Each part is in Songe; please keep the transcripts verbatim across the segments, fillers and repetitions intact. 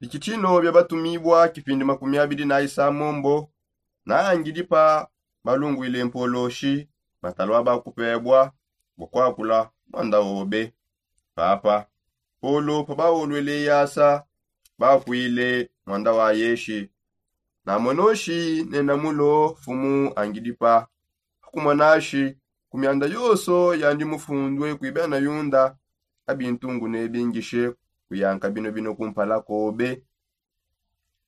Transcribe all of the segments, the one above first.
Iki tshino bia batumibua kipindi makumi abidi na isamombo, na angidi pa balungwile mpoloshi matalua bakupebua bua kuakula muanda obe. Papa polo pa baolwele yasa, bakuile muanda wa yeshi. Namonoshi ne namulo fumu angidi pa akumonashi ku mianda yonso yandi mufundue kui bena yunda, abintungu nebingishe kuyanka bino bino kumpala kobe.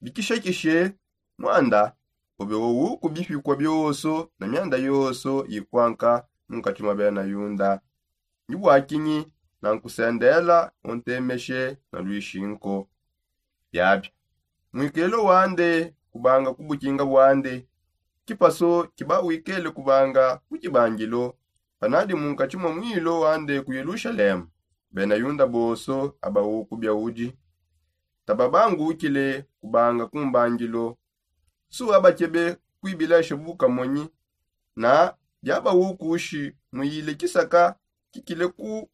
Bikishekishe muanda obe wowuku bipikua bionso na mianda yonso ikuanka munkati mua bena yunda. Ndi bua kinyi nankusendela untemeshe na luishi nko? Biabi muikelo wande kubanga ku bukinga buande, kipaso kiba wikele kubanga ku kibangilo. Panadi munkati mua muilo wande ku yelushalema, bena yunda bonso aba uku biaudi tababangukile kubanga ku mbangilo. Su abakebe kuibilesha bukamonyi na biaba ukushi muyile kisaka kikile ku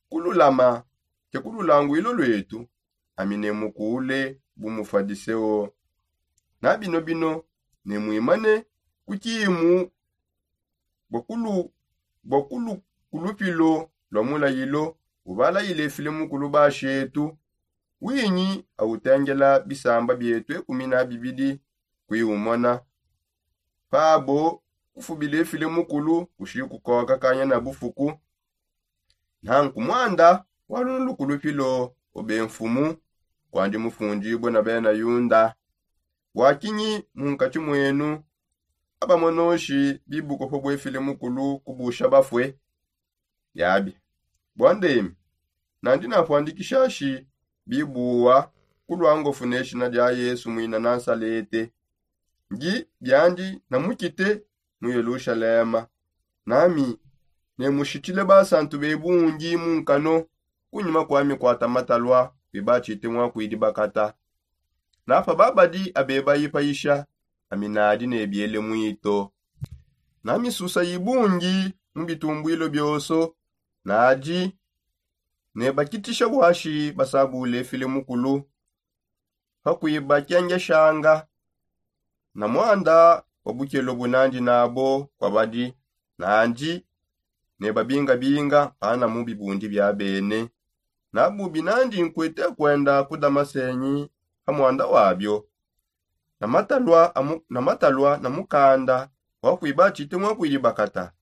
kululama ke ku lulanguilo luetu, ami ne mukule bu mufadiseo. Na bino bino ne muimane ku kimu bua kulu bua kulu kulupilo lua mulayilo ubalayile file mukulu bashetu. Winyi autengela bisamba bietu ekumi na bibidi kuiumona pabo kufubile file mukulu kushi kukoka kanya na bufuku. Nanku muanda wa lunuluku lupilo obe mfumu kuandi mufundibue na bena yunda. Bua kinyi munkati muenu abamonoshi bibuko pa buefile mukulu kubusha bafue? Biabi bua ndemi nandi napuandikishashi bibuwa ku luangofu ne shina dia yesu muina nansalete. Ndi biandi namukite mu yelushalema nami ne mushitile basantu be bungi mu nkano. Kunyima kua mikuata matalua kuiba tshite mua kuidi bakata. Napa babadi abebayi payisha ami nadi ne biele muito. Na misusa ibungi mu bitumbuilo bionso nadi ne bakitisha buashi basabule file mukulu pa kuibakengeshanga. Na muanda wa bukelo bunandi nabo kuabadi nandi ne babingabinga pana mu bibundi bia bene. Nabubi nandi nkuete kuenda ku damasenyi pa muanda wabio na matalua na mukanda wa kuiba tshite mua kuidi bakata.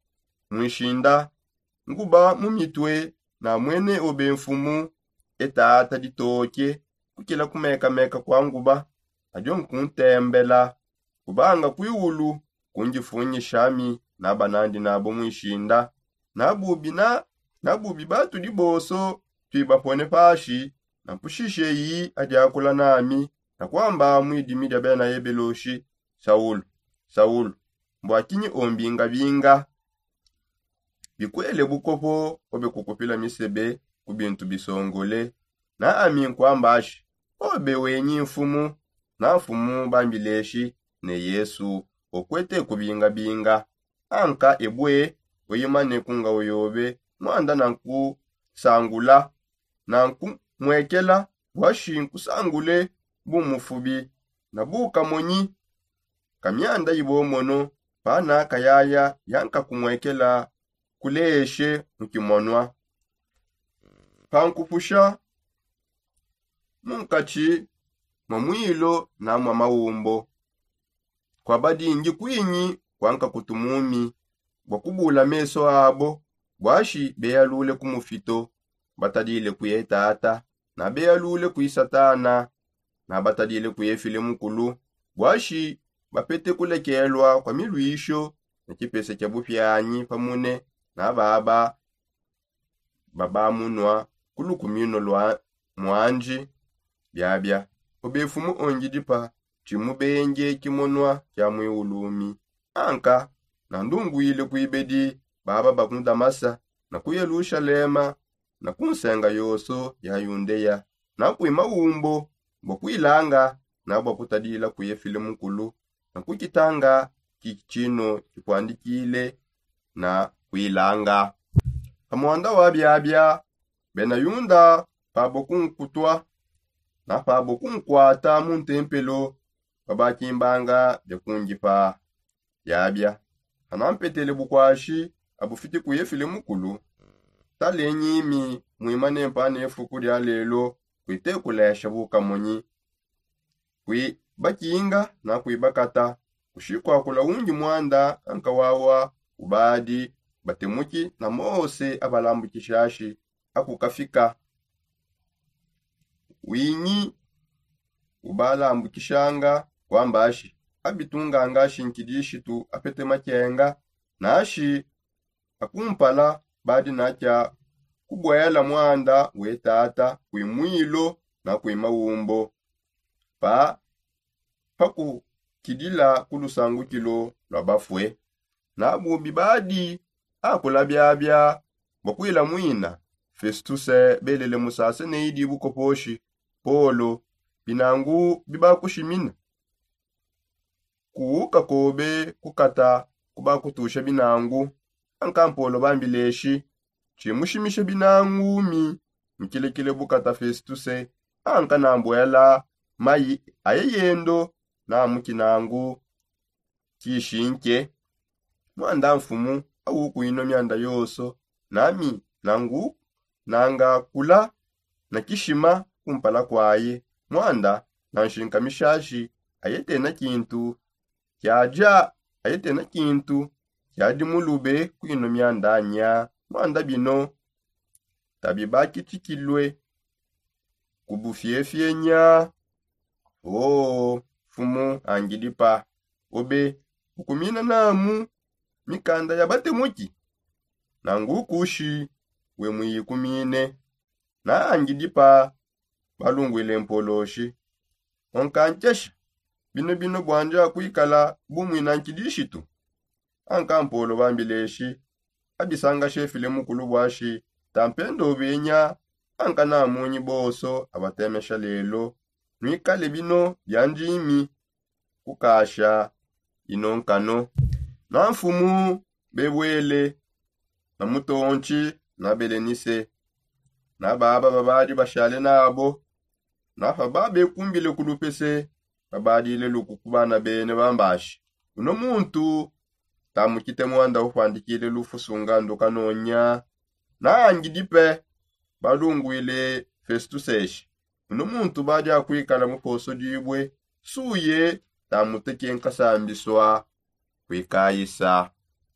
Muishinda nguba mu mitue na muene obe mfumu etata ditoke kukila kumekameka kua nguba. Adio nkuntembela kubanga kuiulu kundifunyishami naba nandi nabo muishinda. Nabubi na nabubi batudi bonso tuibapone pashi na mpushishe yi adiakula nami na kuamba mu idimi dia bena yebeloshi, saulu, saulu, mbua kinyi ombingabinga? Bikuele bukopo obe kukupila misebe ku bintu bisongole. Na ami nkuamba ashi obe wenyi mfumu. Na mfumu bambileshi ne yesu okuete kubingabinga. Anka ebue weyimane kunga oyobe muanda nankusangula nankumuekela buashi nkusangule bu mufubi na bukamonyi. Ka mianda ibomono pana kayaya yankakumuekela kuleshe mu kimonua. Pankupusha munkatshi mua muilo na mua maumbo. Kuabadi ndi kuinyi kuankakutu mumi bua kubula mesu abo buashi beyalule ku mufito batadile kuye tata na beyalule kuye satana na batadile kuye file mukulu buashi bapete kulekelua kua miluisho ne kipese kia bupianyi pamune na baba babamunua ku lukumino lua muanji. Biabia obe mfumu ongidipa tshimubenge kimonua kia muiulumi. Anka nandunguile kuibedi baba ba mu damasa na ku yelushalema na ku nsenga yonso ya yundeya. Nakui maumbo bua kuilanga na bua kutadila kuye file mukulu na kukitanga ki tshino kipuandikile na kuilanga. Pa muanda wa biabia bena yunda pabo kunkutua na pabo kunkuata mu ntempelo, babakimbanga bia kungipa biabia. Ana mpetele bukwashi abufiti ku efile mukulu, talenyimi mwima nempa ne fuku dia lelo, kuitekulesha bukamonyi, kuibakinga na kuibakata kushikwakula ungi mwanda ankawawa ubadi batemuki na mose abalambukishashi akukafika. Winyi ubalambukishanga kwambashi abitunganga shinkidishitu apete makenga nashi akumpala badi nakia kubwela mwanda we tata kwimwilo na kwimawumbo pa pakukidila ku lusangukilo lwa bafue. Na bubi badi akula biabia bua kuila muina festuse belele musase neidi bukoposhi polo binangu bibakushimina kuuka kobe kukata kubakutusha binangu. Anka mpolo bambileshi tshimushimisha binangumi mukilekile bukata festuse anka nambuela mayi aye yendo na mukinangu kishinke. Mwanda mfumu awukuinwa mianda yoso nami nangu nanga kula na kishima kumpala kwaye. Mwanda na nshinka mishashi ayetena kintu kiadia ayetena kintu kiadi mulube kuinwa mianda nya. Mwanda bino tabi bakitshikilue ku bufiefie nya. Oo mfumu angidipa, obe ukumina namu mikanda ya batemuki nangu kushi we muyikumine. Na angidipa balungwile mpoloshi, onkankesha bino bino bwandi akuikala bumwina nkidishitu. Anka mpolo bambileshi abisanga shefile mukulu bwashi tampenda obenya. Anka namunyi bonso abatemesha lelo nwikale bino bia ndimi kukasha ino nkano. Na mfumu bebwele na mutontshi na belenise na baba babadi bashale nabo na pababekumbile ku lupese babadile luku ku bana bene bambashi, uno muntu tamukite mwanda ufuandikile lufusu ngandu kanonya. Na angidipe balungwile festuseshi, uno muntu badi akuikala mu poso dibue suye tamuteke nkasambisua kuikayisa.